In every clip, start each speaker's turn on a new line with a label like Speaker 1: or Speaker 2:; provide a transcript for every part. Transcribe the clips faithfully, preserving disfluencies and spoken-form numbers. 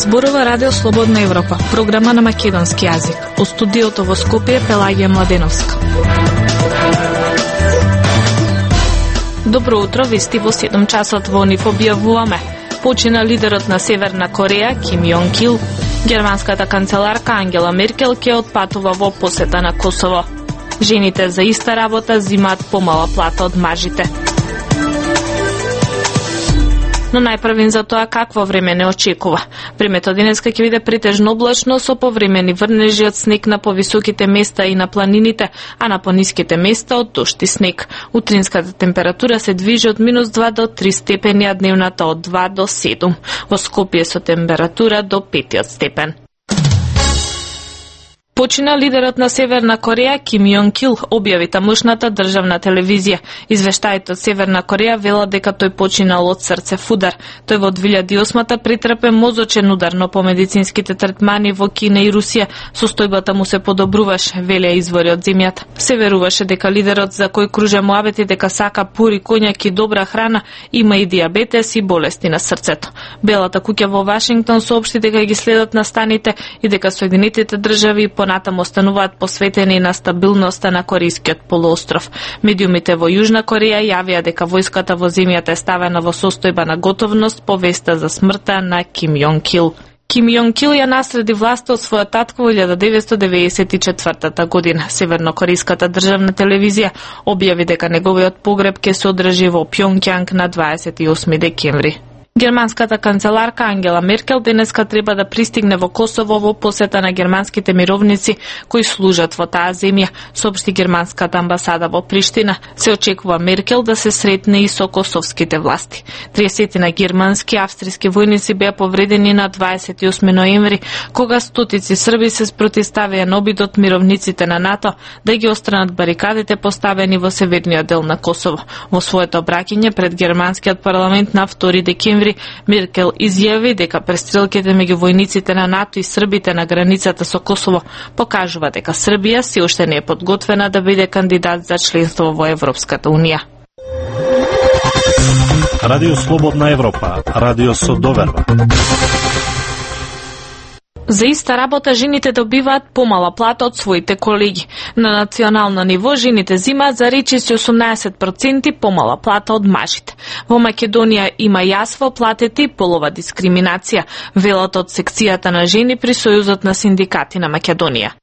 Speaker 1: Зборува Радио Слободна Европа, програма на македонски јазик. Од студиото во Скопје Пелагија Младеновска. Добро утро, вести во седум часот во НИФ објавуваме. Почина лидерот на Северна Кореја Ким Јонг Ил. Германската канцеларка Ангела Меркел ќе отпатува во посета на Косово. Жените за иста работа зимаат помала плата од мажите. Но најпрвен за тоа какво време не очекува. Времето денеска ќе биде претежно облачно со повремени врнежи од снег на повисоките места и на планините, а на пониските места од дожд и снег. Утринската температура се движи од минус два до три степени, а дневната од два до седум. Во Скопје со температура до пет степен. Почина лидерот на Северна Кореја Ким Јонг Ил, објави тамошната државна телевизија. Извештаите од Северна Кореја велат дека тој починал од срцев удар. Тој во две илјади и осма претрпе мозочен удар, но по медицинските третмани во Кина и Русија состојбата му се подобруваше, велеа извори од земјата. Се веруваше дека лидерот за кој кружа муабети дека сака пури коњак и добра храна има и дијабетес и болести на срцето. Белата куќа во Вашингтон соопшти дека ги следат настаните и дека Соединетите држави понатаму остануваат посветени на стабилноста на Корејскиот полуостров. Медиумите во Јужна Кореја јавија дека војската во земјата е ставена во состојба на готовност по веста за смртта на Ким Јонг Ил. Ким Јонг Ил ја наследи власта од својот татко во илјада деветстотини деветдесет и четвртата година. Севернокорејската државна телевизија објави дека неговиот погреб ќе се одржи во Пјонѓанг на дваесет и осми декември. Германската канцеларка Ангела Меркел денеска треба да пристигне во Косово во посета на германските мировници кои служат во таа земја, соопшти германската амбасада во Приштина. Се очекува Меркел да се сретне и со косовските власти. триесет на германски и австријски војници беа повредени на дваесет и осми ноември, кога стотици срби се спротивставија на обидот мировниците на НАТО да ги отстранат барикадите поставени во северниот дел на Косово. Во своето обраќање пред германскиот парламент на втори декември Меркел изјави дека престрелките меѓу војниците на НАТО и србите на границата со Косово покажува дека Србија се уште не е подготвена да биде кандидат за членство во Европската унија.
Speaker 2: Радио Слободна Европа, радио со доверба.
Speaker 1: За иста работа жените добиваат помала плата од своите колеги. На национално ниво жените зимаат за речиси осумнаесет проценти помала плата од мажите. Во Македонија има јас во платите и полова дискриминација, велат од секцијата на жени при Сојузот на синдикати на Македонија.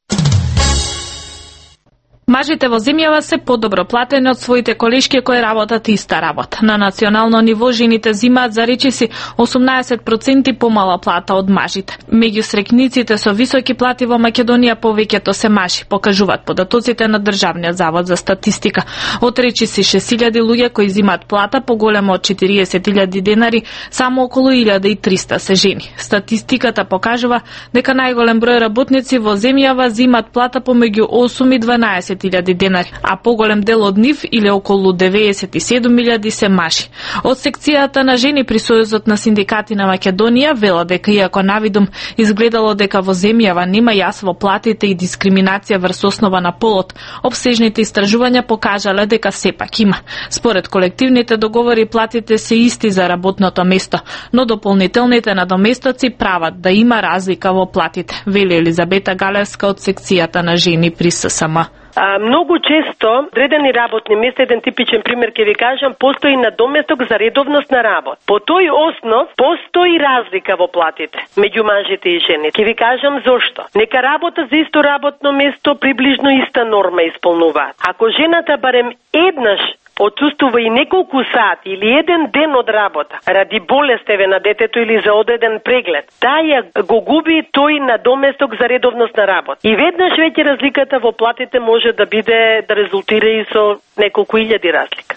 Speaker 1: Мажите во земјава се подобро платени од своите колешки кои работат иста работа. На национално ниво жените зимаат за речиси осумнаесет проценти помала плата од мажите. Меѓу срекниците со високи плати во Македонија повеќето се мажи, покажуваат податоците на Државниот завод за статистика. Од речиси шест илјади луѓе кои зимаат плата поголема од четириесет илјади денари, само околу илјада и триста се жени. Статистиката покажува дека најголем број работници во земјава зимаат плата помеѓу осум и дванаесет илјади денари, а поголем дел од нив, или околу деветдесет и седум илјади, се мажи. Од секцијата на жени при Сојузот на синдикати на Македонија вела дека иако навидум изгледало дека во земјава нема јас во платите и дискриминација врз основа на полот, обсежните истражувања покажале дека сепак има. Според колективните договори платите се исти за работното место, но дополнителните надоместоци прават да има разлика во платите, вели Елизабета Галевска од секцијата на жени при ССМ.
Speaker 3: А, многу често одредени работни места, еден типичен пример ќе ви кажам, постои надоместок за редовност на работа. По тој основ постои разлика во платите меѓу мажите и жените. Ќе ви кажам зошто. Нека работа за исто работно место приближно иста норма исполнуваат. Ако жената барем еднаш отсуствува и неколку сати или еден ден од работа, ради болест еве на детето или за одреден преглед, таа го губи тој надоместок за редовност на работа. И веднаш веќе разликата во платите може да биде, да резултира и со неколку илјади разлика.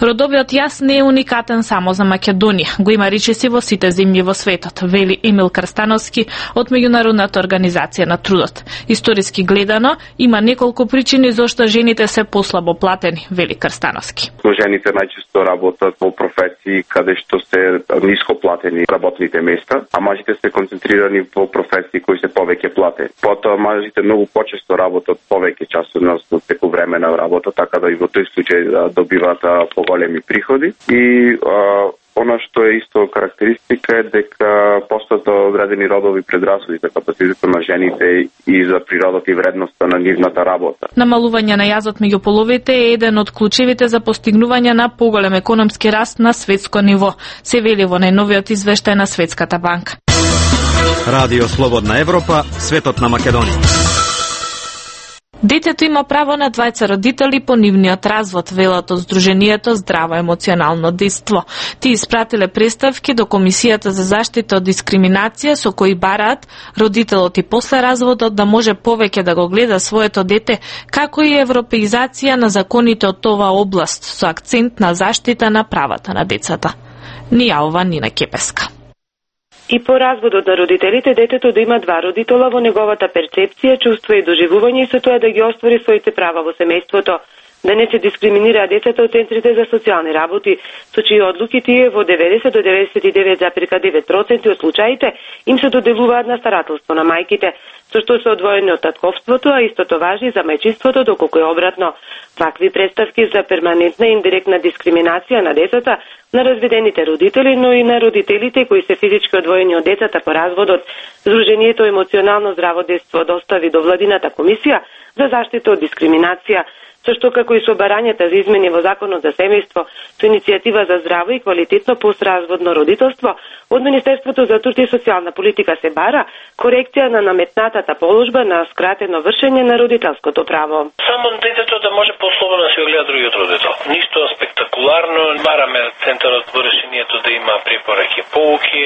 Speaker 1: Родовиот јас не е уникатен само за Македонија. Го има речиси во сите земји во светот, вели Емил Крстановски од Меѓународната организација на трудот. Историски гледано, има неколку причини зошто жените се послабо платени, вели Крстановски.
Speaker 4: Жените најчесто работат во професии каде што се ниско платени работните места, а мажите се концентрирани во професии кои се повеќе платени. Потоа мажите многу почесто работат повеќе часовно теку време на работа, така да и во тој случај добиваат поголеми приходи и а, Она што е исто карактеристика е дека постојат одредени родови предрасуди за капацитетот на жените и за природата и вредноста на нивната работа.
Speaker 1: Намалување на јазот меѓу половите е еден од клучевите за постигнување на поголем економски раст на светско ниво, се вели во најновиот извештај на Светската банка.
Speaker 2: Радио Слободна Европа, светот на Македонија.
Speaker 1: Детето има право на двајца родители по нивниот развод, велат од Сдруженијето Здраво емоционално дејство. Ти испратиле представки до Комисијата за заштита од дискриминација со кои бараат родителот и после разводот да може повеќе да го гледа своето дете, како и европеизација на законите од оваа област со акцент на заштита на правата на децата. Ни јавува Нина Кепеска.
Speaker 5: И по разводот на родителите, детето да има два родитела во неговата перцепција, чувство и доживување и со тоа да ги оствари своите права во семејството, да не се дискриминираат децата од центрите за социјални работи, со чии одлуки тие во деветдесет до деветдесет и девет зарез девет проценти од случаите им се доделуваат на старателство на мајките, со што се одвоени од татковството, а истото важи за мајчинството, доколку е обратно. Вакви представки за перманентна и индиректна дискриминација на децата, на разведените родители, но и на родителите кои се физички одвоени од децата по разводот, Сдруженијето Емоционално здраво дејство достави до владината комисија за заштита од дискриминација, со што како и со барањата за измени во Законот за семејство, со иницијатива за здраво и квалитетно постразводно родителство, од Министерството за труд и социјална политика се бара корекција на наметнатата положба на скратено вршење на родителското право.
Speaker 6: Само детето да може послободно да се гледа другиот родител. Ништо спектакуларно, бараме центарот во решението да има препораки, поуки,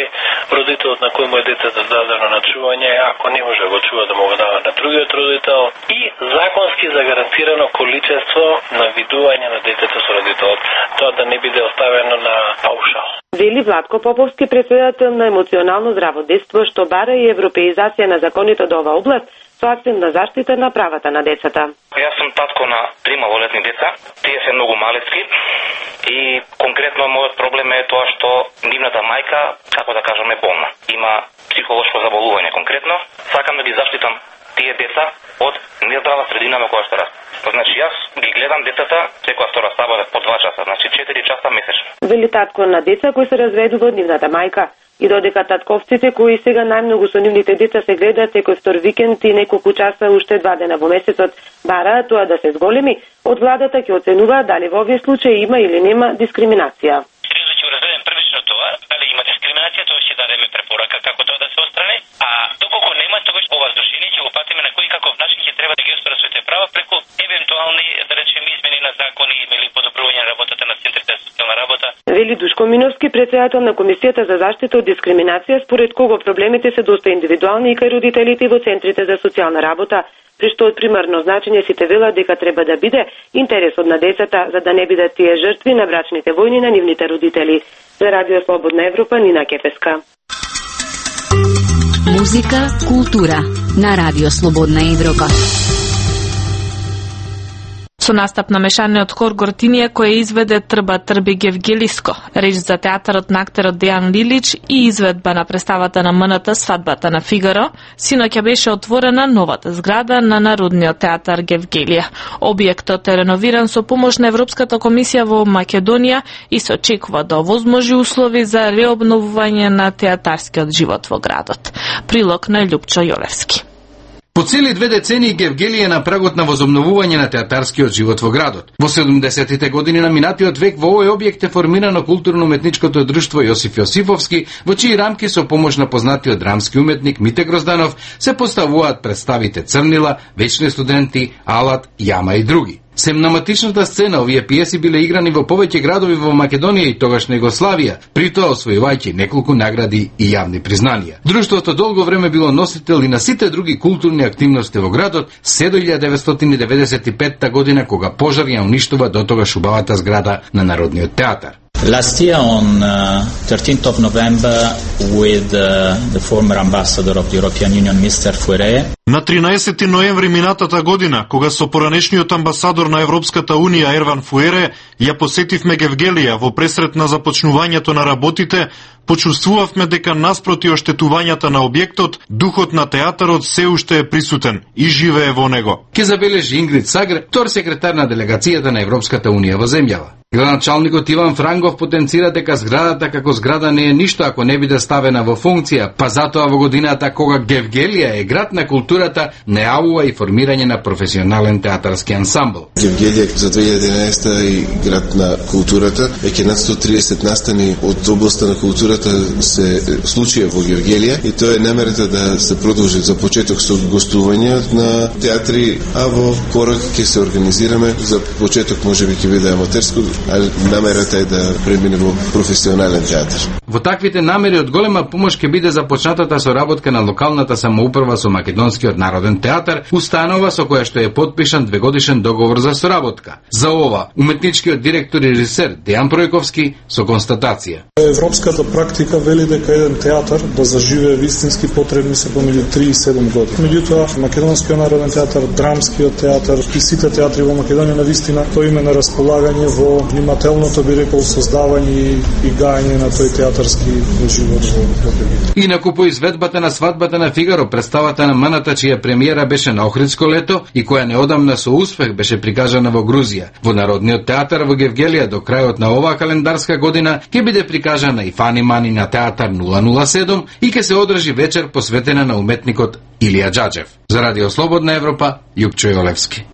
Speaker 6: родителот на кој му е детето дадено на чување, ако не може да го чува да му го дава на другиот родител и законски загарантирано количество на видување на детето со родителот. Тоа да не биде оставено на паушал.
Speaker 5: Вели Владко Поповски, председател на Емоционално здраво дејство, што бара и европеизација на законите од оваа област со акцент на заштита на правата на децата.
Speaker 7: Јас сум татко на три малолетни деца, тие се многу малецки и конкретно мојот проблем е тоа што нивната мајка, како да кажаме, болна. Има психолошко заболување конкретно. Сакам да ги заштитам тие деца од нездрава средина во која што растат. Значи јас ги гледам децата секоја втора сабота по два часа, значи четири часа месечно.
Speaker 5: Вели татко на деца кои се разведува од нивната мајка и додека татковците кои сега најмногу со нивните деца се гледаат секој втор викенд и неколку часа уште два дена во месецот, бараат тоа да се зголеми, од владата ќе оценуваат дали во овие случаи има или нема дискриминација.
Speaker 8: Ќе разгледаме првично тоа, дали има дискриминација, тоа ќе дадеме препорака како тоа да се отстрани, а доколку нема, тогаш ова здружение ќе го патиме на кој каков начин ќе треба да ги оствари своите права преку евентуални, да речеме, измени на закони или подобрување на работата на центрите за социјална работа.
Speaker 5: Вели Душко Миновски, председател на Комисијата за заштита од дискриминација, според кого проблемите се доста индивидуални и кај родителите во центрите за социјална работа, при што од примарно значење сите велат дека треба да биде интересот на децата, за да не бидат тие жртви на брачните војни на нивните родители. За Радио Слободна Европа, Нина Кепеска.
Speaker 9: Музика, култура на Радио Слободна Европа.
Speaker 1: Со настап на мешаниот хор Гортинија кој изведе Трба трби Гевгелиско, реч за театарот на актерот Дејан Лилич и изведба на представата на МНТ Свадбата на Фигаро, синоќа беше отворена новата зграда на Народниот театар Гевгелија. Објектот е реновиран со помош на Европската комисија во Македонија и се очекува да овозможи услови за реобновување на театарскиот живот во градот. Прилог на Љупчо Јолевски.
Speaker 10: По цели две децении Гевгелија е на прагот на возобновување на театарскиот живот во градот. Во седумдесетите години на минатиот век во овој објект е формирано културно-уметничкото друштво Јосиф Јосифовски, во чии рамки со помош на познатиот драмски уметник Мите Грозданов се поставуваат представите Црнила, Вечни студенти, Алат, Јама и други. Семнаматичната сцена овие пиеси биле играни во повеќе градови во Македонија и тогашна Југославија, при тоа освојувајќи неколку награди и јавни признанија. Друштвото долго време било носител и на сите други културни активности во градот, се до илјадам деветстотини деветдесет и петта година кога пожар ја уништува дотогаш убавата зграда на Народниот театар.
Speaker 11: Last year on uh, thirteenth of November with uh, the former ambassador of the European Union, Mister Fuere.
Speaker 12: На тринаесети ноември минатата година, кога со поранешниот амбасадор на Европската Унија Ерван Фуере ја посетивме Гевгелија во пресрет на започнувањето на работите, почувствувавме дека наспроти оштетувањата на објектот, духот на театарот се уште е присутен и живее во него.
Speaker 10: Ке забележи Ингрид Сагр, втор секретар на делегацијата на Европската унија во земјава. Градоначалникот Иван Франгов потенцира дека зградата како зграда не е ништо ако не биде ставена во функција, па затоа во годината кога Гевгелија е град на културата, најавува и формирање на професионален театарски ансамбл.
Speaker 13: Гевгелија за две илјади и единаесета и град на културата, веќе над сто триесет настани од областа на културата се случија во Гевгелија и тоа е намерата да се продолжи за почеток со гостување на театри, а во корак ќе се организираме за почеток можеби ќе биде аматерско, ali намерата е да премине во професионален театар.
Speaker 10: Во таквите намери од голема помош ќе биде започнатата соработка на локалната самоуправа со Македонскиот народен театар, установа со која што е подпишан двегодишен договор за соработка. За ова, уметничкиот директор и режисер Дејан Пројковски со констатација.
Speaker 14: Европската практика вели дека еден театар да заживее вистински потребни се помеѓу три и седум години. Меѓутоа, Македонскиот народен театар, Драмскиот театар и сите театри во Македонија на вистина тој има на располагање во внимателното би рекол создавање и гајање на тој театарски живот во Македонија.
Speaker 10: Инаку по изведбата на свадбата на Фигаро, представата на Маната чија премиера беше на Охридско лето и која неодамна со успех беше прикажана во Грузија. Во Народниот театар во Гевгелија до крајот на оваа календарска година ќе биде прикажана и Фани Мани на театар нула нула седум и ќе се одржи вечер посветена на уметникот Илија Џаџев. За Радио Слободна Европа, Јупчо Јолевски.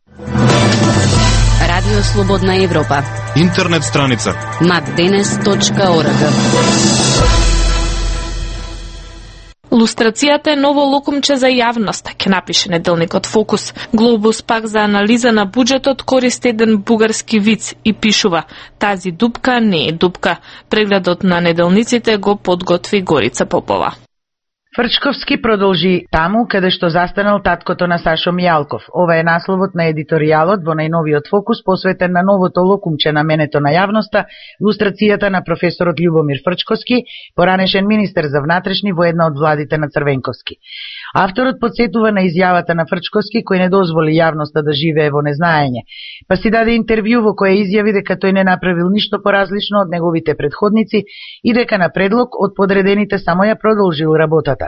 Speaker 9: Радио Слободна Европа.
Speaker 12: Интернет страница
Speaker 9: макденес точка орг.
Speaker 1: Лустрацијата е ново локумче за јавноста, ќе напише неделникот Фокус. Глобус пак за анализа на буџетот користи еден бугарски виц и пишува: тази дупка не е дупка. Прегледот на неделниците го подготви Горица Попова.
Speaker 15: Фрчковски продолжи таму каде што застанал таткото на Сашо Мијалков. Ова е насловот на едиторијалот во најновиот Фокус посветен на новото локумче на менето на јавноста, лустрацијата на професорот Љубомир Фрчковски, поранешен министер за внатрешни во една од владите на Црвенковски. Авторот подсетува на изјавата на Фрчковски кој не дозволи јавноста да живее во незнаење, па си даде интервју во кое изјави дека тој не направил ништо поразлично од неговите предходници и дека на предлог од подредените само ја продолжил работата.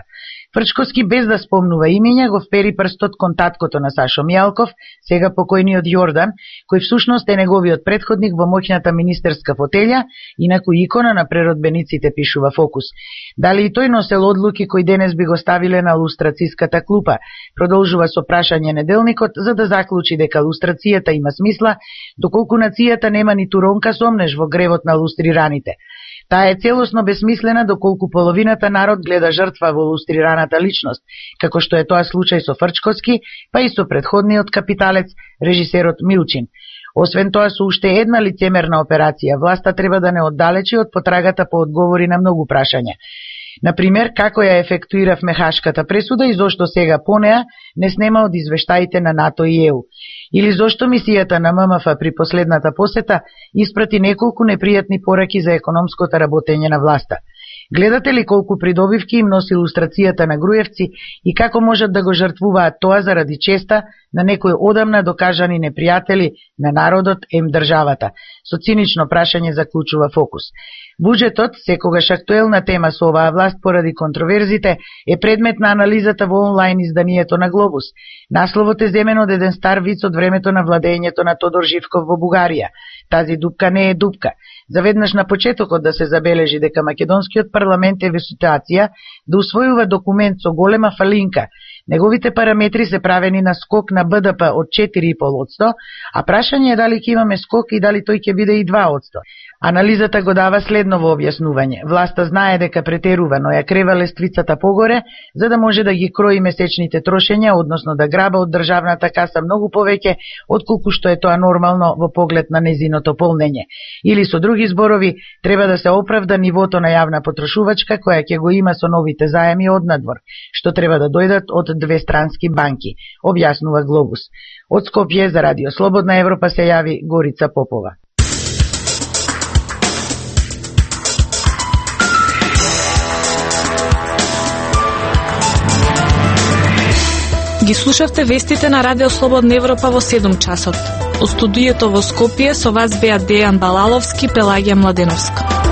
Speaker 15: Фрчковски, без да спомнува имења, го впери прстот кон таткото на Сашо Мијалков, сега покојниот Јордан, кој всушност е неговиот предходник во моќната министерска фотелја, инаку икона на преродбениците, пишува Фокус. Дали и тој носел одлуки кои денес би го ставиле на лустрациската клупа, продолжува со прашање неделникот, за да заклучи дека лустрацијата има смисла, доколку нацијата нема ниту ронка сомнеш во гревот на лустрираните. Таа е целосно бесмислена доколку половината народ гледа жртва во лустрираната личност, како што е тоа случај со Фрчковски, па и со предходниот капиталец, режисерот Милчин. Освен тоа, со уште една лицемерна операција, власта треба да не оддалечи од потрагата по одговори на многу прашања. Например, како ја ефектуиравме Хашката пресуда и зошто сега по неа не снема од извештаите на НАТО и Е У. Или зошто мисијата на М М Ф при последната посета испрати неколку непријатни пораки за економското работење на власта. Гледате ли колку придобивки им носи лустрацијата на Груевци и како можат да го жртвуваат тоа заради честа на некои одамна докажани непријатели на народот ем државата? Со цинично прашање заклучува Фокус. Буџетот, секогаш актуелна тема со оваа власт поради контроверзите, е предмет на анализата во онлайн изданието на Глобус. Насловот е земен од еден стар виц од времето на владењето на Тодор Живков во Бугарија. Тази дупка не е дупка. Заведнаш на почетокот да се забележи дека македонскиот парламент е во ситуација да усвојува документ со голема фалинка. Неговите параметри се правени на скок на Б Д П од четири и пет одсто, а прашање е дали ќе имаме скок и дали тој ќе биде и два одсто. Анализата го дава следно во објаснување. Власта знае дека претерува, но ја крева лествицата погоре, за да може да ги крои месечните трошења, односно да граба од државната каса многу повеќе, отколку што е тоа нормално во поглед на незиното полнење. Или со други зборови, треба да се оправда нивото на јавна потрошувачка, која ќе го има со новите заеми од надвор, што треба да дојдат од две странски банки, објаснува Глобус. Од Скопје за Радио Слободна Европа се јави Горица Попова.
Speaker 1: Ги слушавте вестите на Радио Слободна Европа во седум часот. Од студиото во Скопје со вас беа Дејан Балаловски, Пелагија Младеновска.